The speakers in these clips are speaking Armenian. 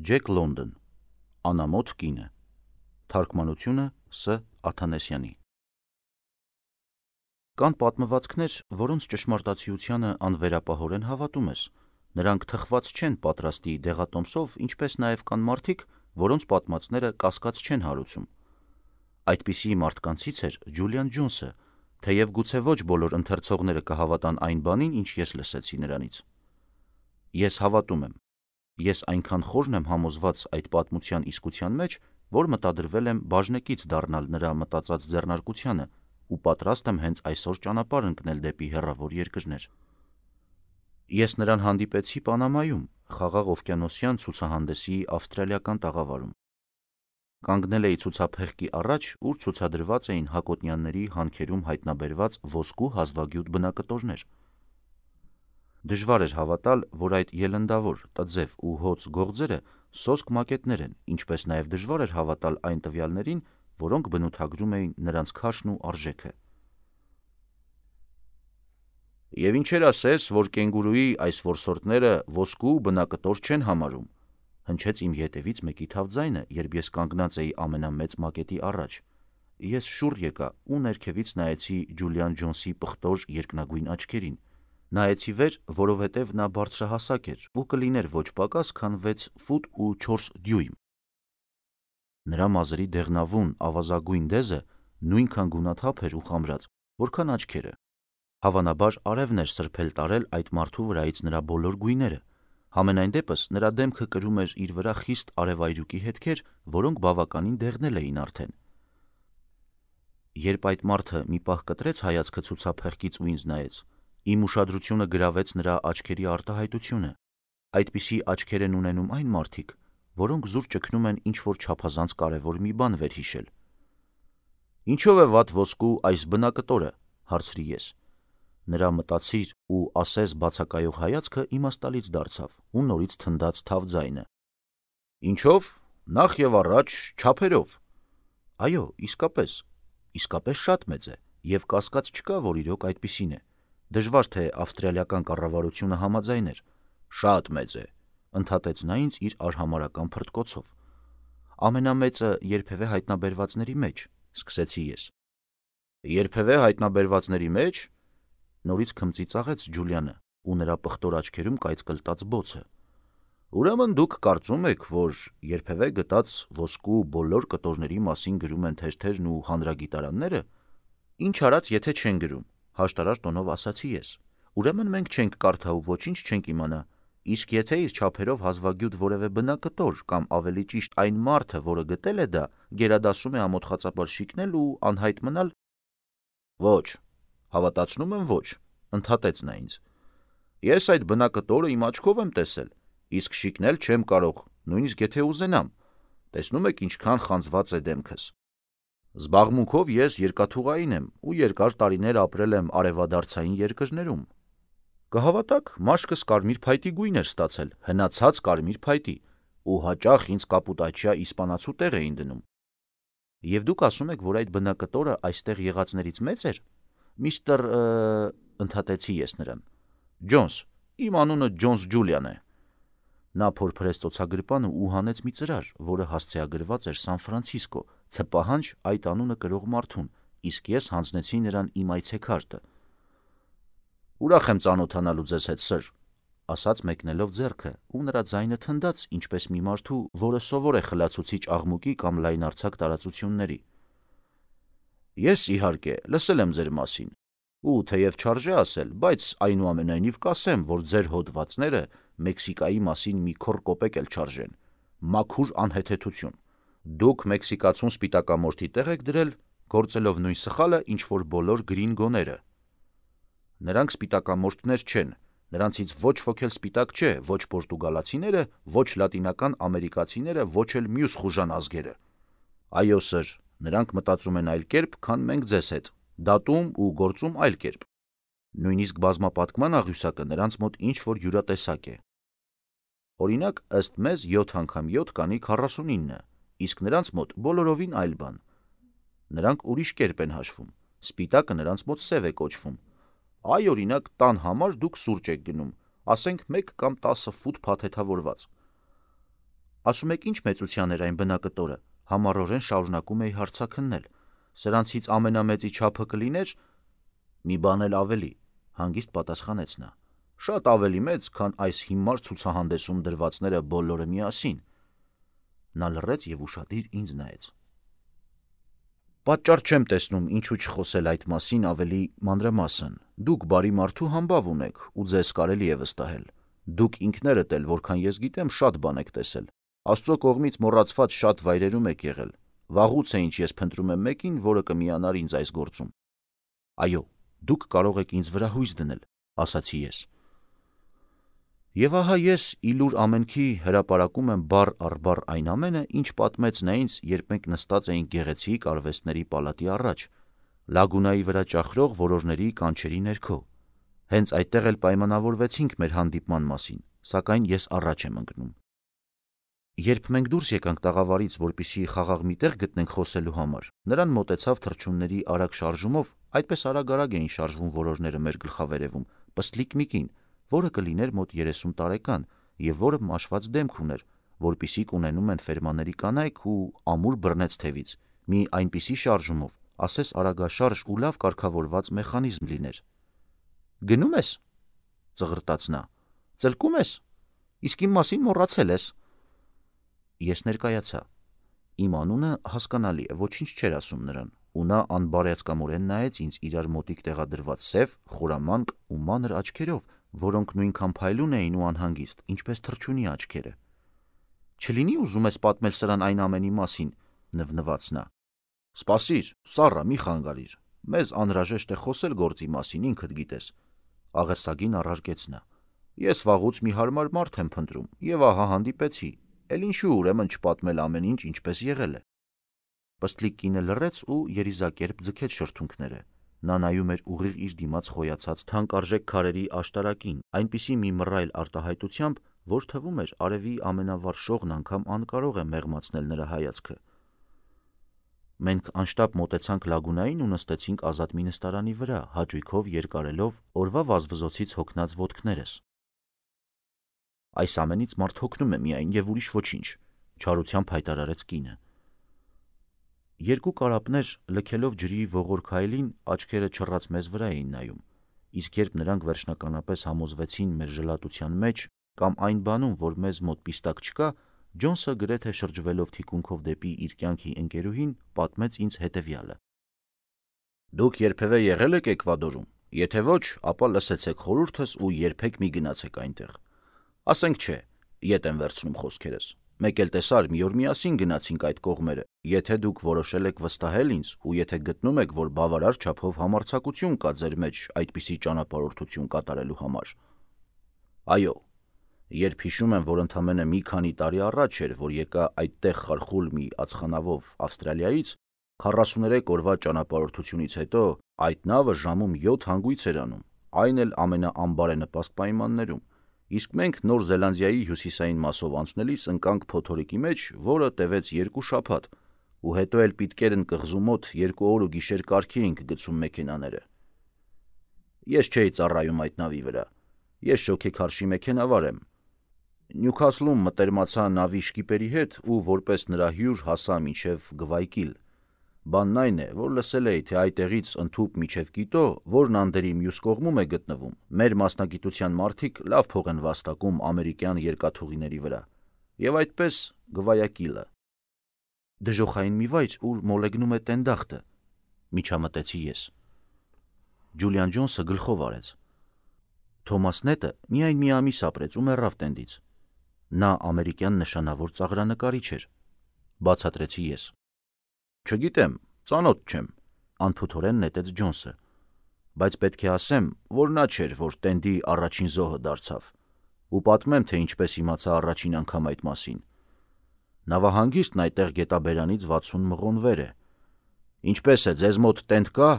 Ջեք Լոնդոն, Անամոթ կինը, թարգմանությունը Ս. Աթանեսյանի։ Կան պատմվածքներ, որոնց ճշմարտացիությանը անվերապահորեն հավատում ես, նրանք թխված չեն պատրաստի դեղատոմսով, ինչպես նաև կան մարդիկ, որոնց պատմածները կասկած չեն հարուցում։ Այդպիսի մարդկանցից էր Ջուլիան Ջոնսը, թեև գուցե ոչ բոլոր ընթերցողները կհավատան այն բանին, ինչ ես լսեցի նրանից։ Ես հավատում եմ։ Ես այնքան խորն եմ համոզված այդ պատմության իսկության մեջ, որ մտադրվել եմ բաժնեկից դառնալ նրա մտածած ձեռնարկությանը ու պատրաստ եմ հենց այսօր ճանապարհ ընկնել դեպի հեռավոր երկրներ։ Ես նրան հանդիպեցի Պանամայում, Խաղաղ օվկիանոսյան ցուցահանդեսի ավստրալիական տաղավարում։ Կանգնել էի ցուցափեղկի առաջ, ուր ցուցադրված էին Հակոտնյանների հանքերում հայտնաբերված ոսկու հազվագյուտ բնակտորներ։ Դժվար էր հավատալ, որ այդ ելնդավոր, տձև ու հոծ գողձերը սոսկ մակետներ են, ինչպես նաև դժվար էր հավատալ այն տվյալներին, որոնք բնութագրում էին նրանց քաշն ու արժեքը։ Եվ ինչեր ասես, որ կենգուրուի այս որսորդները ոսկու բնակտոր չեն համարում, հնչեց իմ ետևից մեկի թավ ձայնը, երբ ես կանգնած էի ամենամեծ մակետի առաջ։ Ես շուռ եկա ու ներքևից նայեցի Ջուլիան Ջոնսի պղտոր երկնագույն աչքերին։ Նայեցի վեր, որովհետև նա բարձրահասակ էր ու կլիներ ոչ պակաս, քան 6 ֆուտ ու 4 դյույմ։ Նրա մազերի դեղնավուն ավազագույն դեզը նույնքան գունաթափ էր ու խամրած, որքան աչքերը։ Հավանաբար արևն էր սրբել տարել այդ մարդու վրայից նրա բոլոր գույները։ Համենայն դեպս նրա դեմքը կրում էր իր վրա խիստ արևայրուկի հետքեր, որոնք բավականին դեղնել էին արդեն։ Երբ այդ մարդը մի պահ կտրեց հայացքը ցուցափեղկից ու ինձ նայեց, իմ ուշադրությունը գրավեց նրա աչքերի արտահայտությունը։ Այդպիսի աչքեր են ունենում այն մարդիկ, որոնք զուր ճգնում են ինչ-որ չափազանց կարևոր մի բան վերհիշել։ Ինչո՞վ է վատ ոսկու այս բնակտորը, հարցրի ես։ Նրա մտածիր ու ասես բացակայող հայացքը իմաստալից դարձավ ու նորից թնդաց թավ ձայնը։ Ինչով, նախ եւ առաջ չափերով։ Այո, իսկապես շատ մեծ է, եւ կասկած չկա, որ իրոք այդպիսին է։ Դժվար թե ավստրալիական կառավարությունը համաձայներ։ Շատ մեծ է, ընդհատեց նա ինձ իր արհամարհական փրտկոցով։ Ամենամեծը երբևէ հայտնաբերվածների մեջ, սկսեցի ես։ Երբևէ հայտնաբերվածների մեջ, նորից քմծիծաղեց Ջուլիանը, ու նրա պղտոր աչքերում կայծկլտաց բոցը։ Ուրեմն դուք կարծում եք, որ երբևէ գտած ոսկու բոլոր կտորների մասին գրում են թերթերն ու հանրագիտարանները։ Ինչ արած, եթե չեն գրում, հաշտարար տոնով ասացի ես։ Ուրեմն մենք չենք կարդա ու ոչինչ չենք իմանա, իսկ եթե իր չափերով հազվագյուտ որևէ բնակտոր կամ ավելի ճիշտ այն մարդը, որը գտել է դա, գերադասում է ամոթխածապար շիկնել ու անհայտ մնալ։ Ոչ, հավատացնում եմ ոչ, ընդհատեց նա ինձ։ Ես այդ բնակտորը իմ աչքով եմ տեսել, իսկ շիկնել չեմ կարող, նույնիսկ եթե ուզենամ։ Տեսնում եք ինչքան խանձված է դեմքս։ Զբաղմունքով ես երկաթուղային եմ ու երկար տարիներ ապրել եմ արևադարձային երկրներում։ Կհավատաք, մաշկս կարմիր փայտի գույն էր ստացել, հնացած կարմիր փայտի, ու հաճախ ինձ կապուտաչիա իսպանացու տեղ էին դնում։ Եվ դուք ասում եք, որ այդ բնակտորը այստեղ եղածներից մեծ էր։ Միստր ընդհատեցի ես նրան։ Ջոնս, իմ անունը Ջոնս Ջուլիան է։ Նա փորփրեց ծոցագրպանը ու հանեց մի ծրար, որը հասցեագրված էր Սան Ֆրանցիսկո, ցպահանջ այդ անունը կրող մարդուն, իսկ ես հանձնեցի նրան իմ այցեքարտը։ Ուրախ եմ ծանոթանալու ձեզ հետ, սըր, ասաց մեկնելով ձեռքը, ու նրա ձայնը թնդաց, ինչպես մի մարդու, որը սովոր է խլացուցիչ աղմուկի կամ լայնարձակ տարածությունների։ Ես, իհարկե, լսել եմ ձեր մասին, ու թեև չարժե ասել, բայց այնուամենայնիվ կասեմ, որ ձեր հոդվածները Մեքսիկայի մասին մի քոռ կոպեկ էլ չարժեն։ Մաքուր անհեթեթություն։ Դուք մեքսիկացուն սպիտակամորթի տեղ եք դրել, գործելով նույն սխալը, ինչ որ բոլոր գրինգոները։ Նրանք սպիտակամորթներ չեն, նրանցից ոչ ոք էլ սպիտակ չէ, ոչ պորտուգալացիները, ոչ լատինական ամերիկացիները, ոչ էլ մյուս խուժան ազգերը։ Այո, սըր, նրանք մտածում են այլ կերպ, քան մենք ձեզ հետ, դատում ու գործում այլ կերպ։ Նույնիսկ բազմապատկման աղյուսակը նրանց մոտ ինչ որ յուրատեսակ է։ Օրինակ, ըստ մեզ 7 անգամ 7 կանի 49, իսկ նրանց մոտ բոլորովին այլ բան։ Նրանք ուրիշ կերպ են հաշվում, սպիտակը նրանց մոտ սև է կոչվում։ Այ, օրինակ, տան համար դուք սուրճ եք գնում, ասենք 1 կամ 10 ֆուտ փաթեթավորված։ Ասում եք ինչ մեծության էր այն բնակտորը, համառորեն շարունակում էի հարցաքննել, սրանցից ամենամեծի չափը կլիներ, մի բան էլ ավելի, հանգիստ պատասխանեց նա, շատ ավելի մեծ, քան այս հիմար ցուցահանդեսում դրվածները բոլորը միասին։ Նա լռեց և ուշադիր ինձ նայեց։ Պատճառ չեմ տեսնում ինչու չխոսել այդ մասին ավելի մանրամասն, դուք բարի մարդու համբավ ունեք ու ձեզ կարելի է վստահել, դուք ինքներդ էլ, որքան ես գիտեմ, շատ բան եք տեսել, Աստծո կողմից մոռացված շատ վայրերում եք եղել, վաղուց է ինչ ես փնտրում եմ մեկին, որը կմիանար ինձ այս գործում։ Այո, դուք կարող եք ինձ վրա հույս դնել, ասացի ես։ Եվ ահա ես իլուր ամենքի հրապարակում եմ բառ առ բառ այն ամենը, ինչ պատմեց նա ինձ, երբ մենք նստած էինք գեղեցիկ արվեստների պալատի առաջ, Լագունայի վրա ճախրող որորների կանչերի ներքո։ Հենց այդտեղ էլ պայմանավորվեցինք մեր հանդիպման մասին, սակայն ես առաջ եմ ընկնում։ Երբ մենք դուրս եկանք տաղավարից, որպեսզի խաղաղ մի տեղ գտնենք խոսելու համար, նրան մոտեցավ թռչունների արագ շարժումով, այդպես արագ էին շարժվում որորները մեր գլխավերևում, պստլիկ մի կին, որը կլիներ մոտ 30 տարեկան և որը մաշված դեմք ուներ, որպիսիք ունենում են ֆերմաների կանայք ու ամուր բռնեց թևից, մի այնպիսի շարժումով, ասես արագաշարժ ու լավ կարգավորված մեխանիզմ լիներ։ Գնում ես, ծղրտաց նա, ծլկում ես, իսկ իմ մասին մոռացել ես։ Ես ներկայացա։ Իմ անունը հասկանալի է, ոչինչ չէր ասում նրան, ու նա անբարյացկամորեն նայեց ինձ իրար մոտիկ տեղադրված սև, խորամանկ ու մանր աչքերով, որոնք նույնքան փայլուն էին ու անհանգիստ, ինչպես թռչունի աչքերը։ Չլինի ուզում ես պատմել սրան այն ամենի մասին, նվնվաց նա։ Սպասիր, սառա, մի խանգարիր, մեզ անհրաժեշտ է խոսել գործի մասին, ինքդ գիտես, աղերսագին առարկեց նա։ Ես վաղուց մի հարմար մարդ եմ փնտրում, եւ ահա հանդիպեցի, էլ ինչու ուրեմն չպատմել ամեն ինչ ինչպես եղել է։ Պստլիկ կինը լռեց ու երիզակերպ ձգեց շրթունքները։ Նա նայում էր ուղիղ իր դիմաց խոյացած թանկարժեք քարերի աշտարակին, այնպիսի մի մռայլ արտահայտությամբ, որ թվում էր արևի ամենավառ շողն անգամ անկարող է մեղմացնել նրա հայացքը։ Մենք անշտապ մոտեցանք Լագունային ու նստեցինք ազատ մի նստարանի վրա, հաճույքով երկարելով օրվա վազվզոցից հոգնած ոտքներս։ Այս ամենից մարդ հոգնում է միայն և ուրիշ ոչինչ, չարությամբ հայտարարեց կինը։ Երկու կարապներ լքելով ջրի ողոր քայլին աչքերը չռած մեզ վրա էին նայում, իսկ երբ նրանք վերջնականապես համոզվեցին մեր ժլատության մեջ կամ այն բանում, որ մեզ մոտ պիստակ չկա, Ջոնսը գրեթե շրջվելով թիկունքով դեպի իր կյանքի ընկերուհին պատմեց ինձ հետևյալը. Դուք երբևէ եղել եք Էկվադորում, եթե ոչ, ապա լսեցեք խորհուրդս ու երբեք մի գնացեք այնտեղ։ Ասենք չէ, ետ եմ վերցնում խոսքերս։ Մեկ էլ տեսար, մի օր միասին գնացինք այդ կողմերը, եթե դուք որոշել եք վստահել ինձ ու եթե գտնում եք, որ բավարար չափով համարձակություն կա ձեր մեջ այդպիսի ճանապարհորդություն կատարելու համար։ Այո, երբ հիշում եմ, որ ընդամենը մի քանի տարի առաջ էր, որ եկա այդտեղ խարխուլ մի ածխանավով Ավստրալիայից, 43 օրվա ճանապարհորդությունից հետո այդ նավը ժամում 7 հանգույց էր անում, այն էլ ամենաանբարենպաստ պայմաններում, իսկ մենք Նոր Զելանդիայի հյուսիսային մասով անցնելիս ընկանք փոթորիկի մեջ, որը տևեց 2 շաբաթ, ու հետո էլ պիտկերն կղզու մոտ 2 օր ու գիշեր կարգի էինք գցում մեքենաները։ Ես չէի ծառայում այդ նավի վրա, ես շոգեքարշի մեքենավար եմ։ Նյուքասլում մտերմացա նավի շկիպերի հետ ու որպես նրա հյուր հասա մինչև Գվայկիլ։ Բանն այն է, որ լսել էի, թե այդտեղից ընդհուպ մինչև Կիտո, որն Անդերի մյուս կողմում է գտնվում, մեր մասնագիտության մարդիկ լավ փող են վաստակում ամերիկյան երկաթուղիների վրա։ Եվ այդպես Գվայակիլը։ Դժոխային մի վայր, ուր մոլեգնում է տենդախտը, միջամտեցի ես։ Ջուլիան Ջոնսը գլխով արեց։ Թոմաս Նետը միայն մի ամիս ապրեց ու մեռավ տենդից։ Նա ամերիկյան նշանավոր ծաղրանկարիչ էր, բացատրեցի ես։ Չգիտեմ, ծանոթ չեմ, անփութորեն նետեց Ջոնսը, բայց պետք է ասեմ, որ նա չէր, որ տենդի առաջին զոհը դարձավ, ու պատմեմ, թե ինչպես իմացա առաջին անգամ այդ մասին։ Նավահանգիստն այդտեղ գետաբերանից 60 մղոն վեր է։ Ինչպես է, ձեզ մոտ տենդ կա,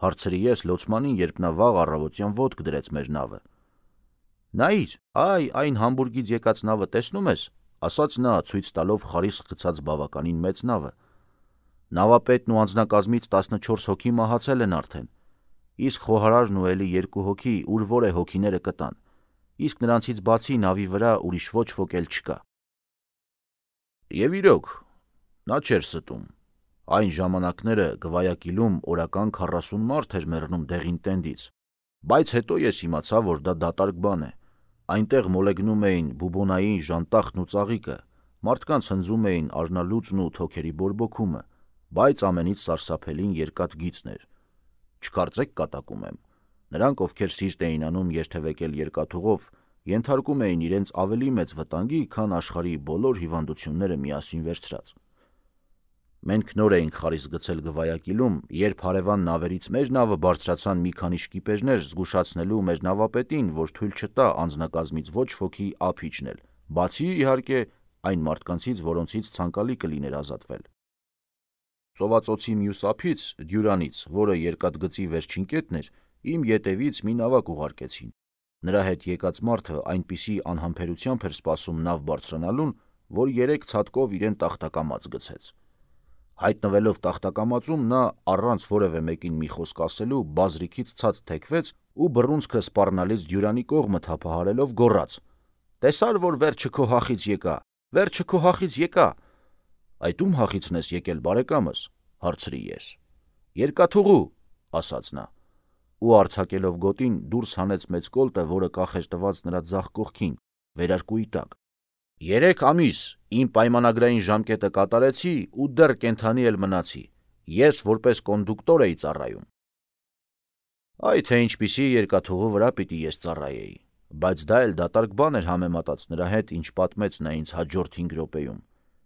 հարցրի ես լոցմանին, երբ նա վաղ առավոտյան ոտք դրեց մեր նավը։ Նայիր, այն Համբուրգից եկած նավը տեսնում ես, ասաց նա, ցույց տալով խարիսխ գցած բավականին մեծ նավը։ Նավապետն ու անձնակազմից 14 հոգի մահացել են արդեն, իսկ խոհարարն ու էլի 2 հոգի, ուր որ է հոգիները կտան, իսկ նրանցից բացի նավի վրա ուրիշ ոչ ոք էլ չկա։ Եվ իրոք, նա չէր ստում։ Այն ժամանակները Գվայակիլում օրական 40 մարդ էր մեռնում դեղին տենդից, բայց հետո ես իմացա, որ դա դատարկ բան է։ Այնտեղ մոլեգնում էին բուբոնային ժանտախն ու ծաղիկը, մարդկանց հնձում էին արնալուծն ու թոքերի բորբոքումը, բայց ամենից սարսափելին երկաթ գիծն էր։ Չկարծեք կատակում եմ։ Նրանք, ովքեր սիրտ էին անում երթևեկել երկաթուղով, ենթարկում էին իրենց ավելի մեծ վտանգի, քան աշխարհի բոլոր հիվանդությունները միասին վերցրած։ Մենք նոր էինք խարիսկ գցել Գվայակիլում, երբ հարևան նավերից մեր նավը բարձրացան մի քանի շկիպերներ զգուշացնելու մեր նավապետին, որ թույլ չտա անձնակազմից ոչ ոքի ափ իջնել, բացի իհարկե այն մարդկանցից, որոնցից ցանկալի կլիներ ազատվել։ Ծովածոցի մյուս ափից, Դյուրանից, որը երկաթգծի վերջին կետն էր, իմ ետևից մի նավակ ուղարկեցին։ Նրա հետ եկած մարդը այնպիսի անհամբերությամբ էր սպասում նավ բարձրանալուն, որ 3 ցատկով իրեն տախտակամած գցեց։ Հայտնվելով տախտակամածում, նա առանց որևէ մեկին մի խոսք ասելու բազրիքից ցած թեքվեց ու բռունցքը սպառնալից Դյուրանի կողմը թափահարելով գոռաց. «Տեսար, որ վերջը քո հախից եկա, վերջը քո հախից եկա»։ «Այդ ում հախիցն ես եկել, բարեկամս», հարցրի ես։ «Երկաթուղու», ասաց նա, ու արձակելով գոտին դուրս հանեց մեծ կոլտը, որը կախ էր տված նրա ձախ կողքին, վերարկուի տակ։ 3 ամիս իմ պայմանագրային ժամկետը կատարեցի ու դեռ կենդանի էլ մնացի։ Ես որպես կոնդուկտոր էի ծառայում։ Այ թե ինչպիսի երկաթուղու վրա պիտի ես ծառայեի, բայց դա էլ դատարկ բան էր համեմատած նրա հետ, ինչ պատմեց նա ինձ հաջորդ 5 րոպեում։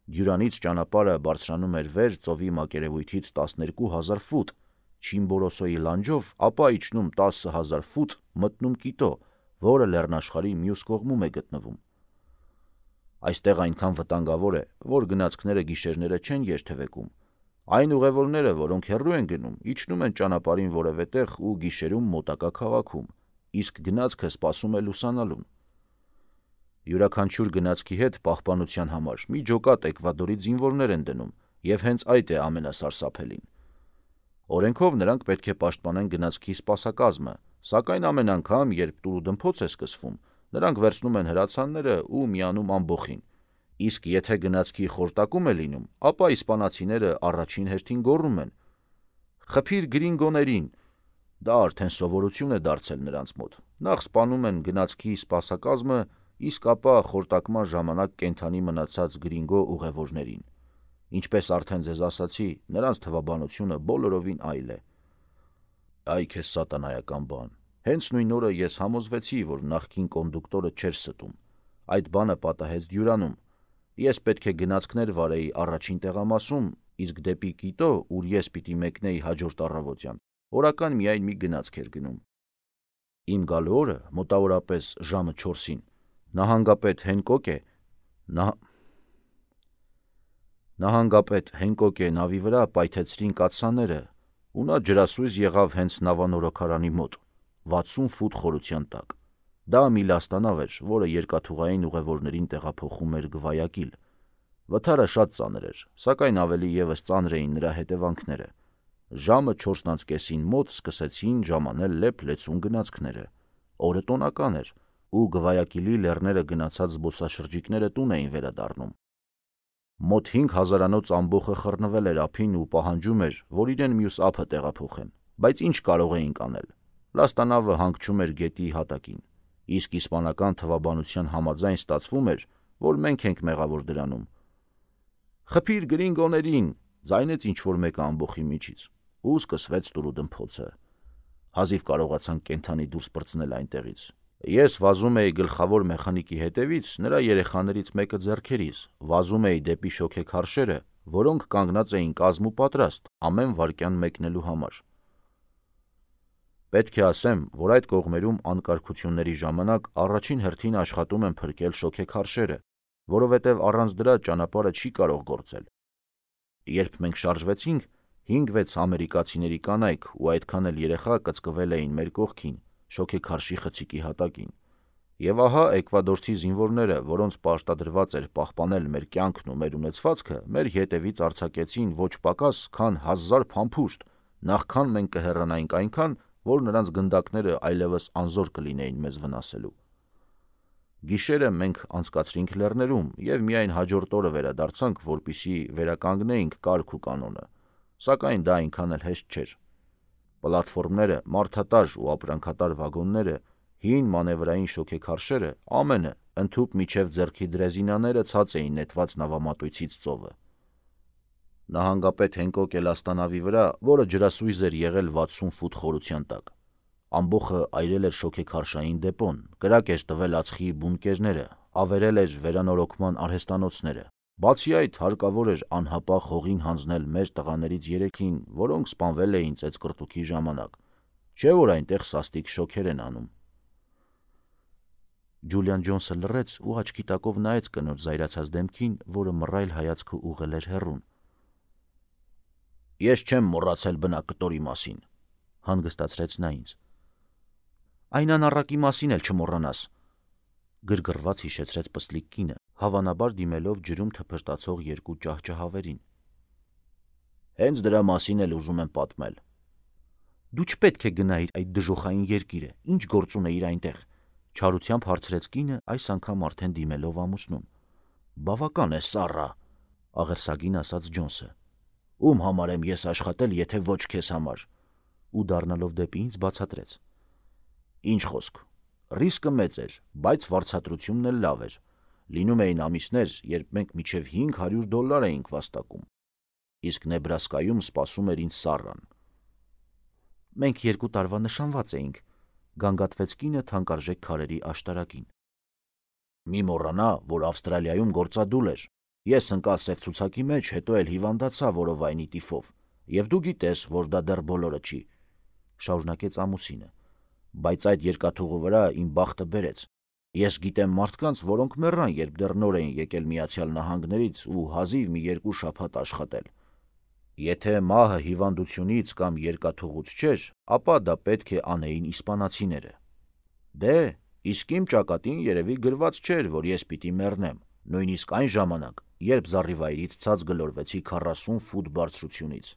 Դյուրանից ճանապարհը բարձրանում էր վեր ծովի մակերևույթից 12,000 ֆուտ, Չիմբորոսոյի լանջով, ապա իջնում 10,000 ֆուտ, մտնում Կիտո, որը լեռնաշխարհի մյուս կողմում է գտնվում։ Այստեղ այնքան վտանգավոր է, որ գնացքները գիշերները չեն երթևեկում։ Այն ուղևորները, որոնք հեռու են գնում, իջնում են ճանապարհին որևէ տեղ ու գիշերում մոտակա քաղաքում, իսկ գնացքը սպասում է լուսանալուն։ Յուրաքանչյուր գնացքի հետ պահպանության համար մի ջոկատ Էկվադորի զինվորներ են դնում, եւ հենց այդ է ամենասարսափելին։ Օրենքով նրանք պետք է պաշտպանեն գնացքի սպասակազմը, սակայն ամեն անգամ, երբ տուրուդմփոց է սկսվում, նրանք վերցնում են հրացանները ու միանում ամբոխին։ Իսկ եթե գնացքի խորտակում է լինում, ապա իսպանացիները առաջին հերթին գոռում են. «Խփիր գրինգոներին»։ Դա արդեն սովորություն է դարձել նրանց մոտ։ Նախ սպանում են գնացքի սպասակազմը, իսկ ապա խորտակման ժամանակ կենդանի մնացած գրինգո ուղևորներին։ Ինչպես արդեն ձեզ ասացի, նրանց թվաբանությունը բոլորովին այլ է։ Այ քեզ սատանայական բան։ Հենց նույն օրը ես համոզվեցի, որ նախկին կոնդուկտորը չէր ստում։ Այդ բանը պատահեց Դյուրանում։ Ես պետք է գնացքներ վարեի առաջին տեղամասում, իսկ դեպի Կիտո, ուր ես պիտի մեկնեի հաջորդ առավոտյան, օրական միայն մի գնացք էր գնում։ Իմ գալու օրը, մոտավորապես ժամը 4-ին, նահանգապետ Հենկոկե նավի վրա պայթեցրին կաթսաները, ու նա ջրասույզ եղավ հենց նավանորոգարանի մոտ, 60 ֆուտ խորության տակ։ Դա մի լաստանավ էր, որը երկաթուղային ուղևորներին տեղափոխում էր Գվայակիլ։ Վթարը շատ ծանր էր, սակայն ավելի ևս ծանր էին նրա հետևանքները։ Ժամը 4:30-ին մոտ սկսեցին ժամանել լեփ-լեցուն գնացքները։ Օրը տոնական էր, ու Գվայակիլի լեռները գնացած զբոսաշրջիկները տուն էին վերադառնում։ Մոտ 5,000-անոց ամբոխը խռնվել էր ափին ու պահանջում էր, որ իրեն մյուս ափը տեղափոխեն, բայց ինչ կարող էինք անել։ Լաստանավը հանգչում էր գետի հատակին, իսկ իսպանական թվաբանության համաձայն ստացվում էր, որ մենք ենք մեղավոր դրանում։ «Խփիր գրինգոներին», ձայնեց ինչ-որ մեկը ամբոխի միջից, ու սկսվեց տուրուդմփոցը։ Հազիվ կարողացանք կենդանի դուրս պրծնել այնտեղից։ Ես վազում էի գլխավոր մեխանիկի հետևից, նրա երեխաներից մեկը ձեռքերիս, վազում էի դեպի շոգեքարշերը, որոնք կանգնած էին կազմ ու պատրաստ ամեն վայրկյան մեկնելու համար։ Պետք է ասեմ, որ այդ կողմերում անկարգությունների ժամանակ առաջին հերթին աշխատում են փրկել շոգեքարշերը, որովհետև առանց դրա ճանապարհը չի կարող գործել։ Երբ մենք շարժվեցինք, 5-6 ամերիկացիների կանայք ու այդքան էլ երեխա կծկվել էին մեր կողքին, շոգեքարշի խցիկի հատակին։ Եվ ահա էկվադորցի զինվորները, որոնց պարտադրված էր պահպանել մեր կյանքն ու մեր ունեցվածքը, մեր ետևից արձակեցին ոչ պակաս, քան 1000 փամփուշտ, նախքան մենք կհեռանայինք այնքան, որ նրանց գնդակները այլևս անզոր կլինեին մեզ վնասելու։ Գիշերը մենք անցկացրինք լեռներում և միայն հաջորդ օրը վերադարձանք, որպեսզի վերականգնեինք կարգ ու կանոնը, սակայն դա այնքան էլ հեշտ չէր։ Պլատֆորմները, մարդատար ու ապրանքատար վագոնները, հին մանևրային շոգեքարշերը, ամենը, ընդհուպ մինչև ձեռքի դրեզինաները ցած էին նետված նավամատույցից ծովը։ Նահանգապետ Հենկոկ Էլաստանավի վրա, որը ջրասույզ էր եղել 60 ֆուտ խորության տակ։ Ամբոխը այրել էր շոգեքարշային դեպոն, կրակ էր տվել ածխի բունկերները, ավերել էր վերանորոգման արհեստանոցները։ Բացի այդ, հարկավոր էր անհապաղ հողին հանձնել մեր տղաներից 3-ին, որոնք սպանվել էին ծեծկռտուքի ժամանակ, չէ որ այնտեղ սաստիկ շոգեր են անում։ Ջուլիան Ջոնսը լռեց ու աչքի տակով նայեց կնոջ զայրացած դեմքին, որը մռայլ հայացքը ուղղել էր հեռուն։ «Ես չեմ մոռացել բնակկտորի մասին», հանգստացրեց նա ինձ։ «Այն անառակի մասին էլ չմոռանաս», գրգռված հիշեցրեց պսլիկ կինը, հավանաբար դիմելով ջրում թփրտացող երկու ճահճահավերին։ «Հենց դրա մասին էլ ուզում եմ պատմել»։ «Դու չպետք է գնայիր այդ դժոխային երկիրը, ինչ գործ ունեիր այնտեղ», չարությամբ հարցրեց կինը, այս անգամ արդեն դիմելով ամուսնուն։ «Բավական է, Սառա», աղերսագին ասաց Ջոնսը։ «Ում համար եմ ես աշխատել, եթե ոչ քեզ համար», ու դառնալով դեպի ինձ բացատրեց։ «Ինչ խոսք, ռիսկը մեծ էր, բայց վարձատրությունն էլ լավ էր։ Լինում էին ամիսներ, երբ մենք մինչև $500 էինք վաստակում։ Իսկ Նեբրասկայում սպասում էր ինձ Սառան»։ «Մենք 2 տարվա նշանված էինք», գանգատվեց կինը թանկարժեք քարերի աշտարակին։ «Մի մոռանա, որ Ավստրալիայում գործադուլ էր։ Ես ընկա սև ցուցակի մեջ, հետո էլ հիվանդացա որովայնի տիֆով, և դու գիտես, որ դա դեռ բոլորը չի», շարունակեց ամուսինը։ «Բայց այդ երկաթուղու վրա իմ բախտը բերեց։ Ես գիտեմ մարդկանց, որոնք մեռան, երբ դեռ նոր էին եկել Միացյալ Նահանգներից ու հազիվ մի 2 շաբաթ աշխատել։ Եթե մահը հիվանդությունից կամ երկաթուղուց չէր, ապա դա պետք է անեին իսպանացիները։ Դե, իսկ իմ ճակատին երևի գրված չէր, որ ես պիտի մեռնեմ, նույնիսկ այն ժամանակ, երբ զառիվայրից ցած գլորվեցի 40 ֆուտ բարձրությունից»։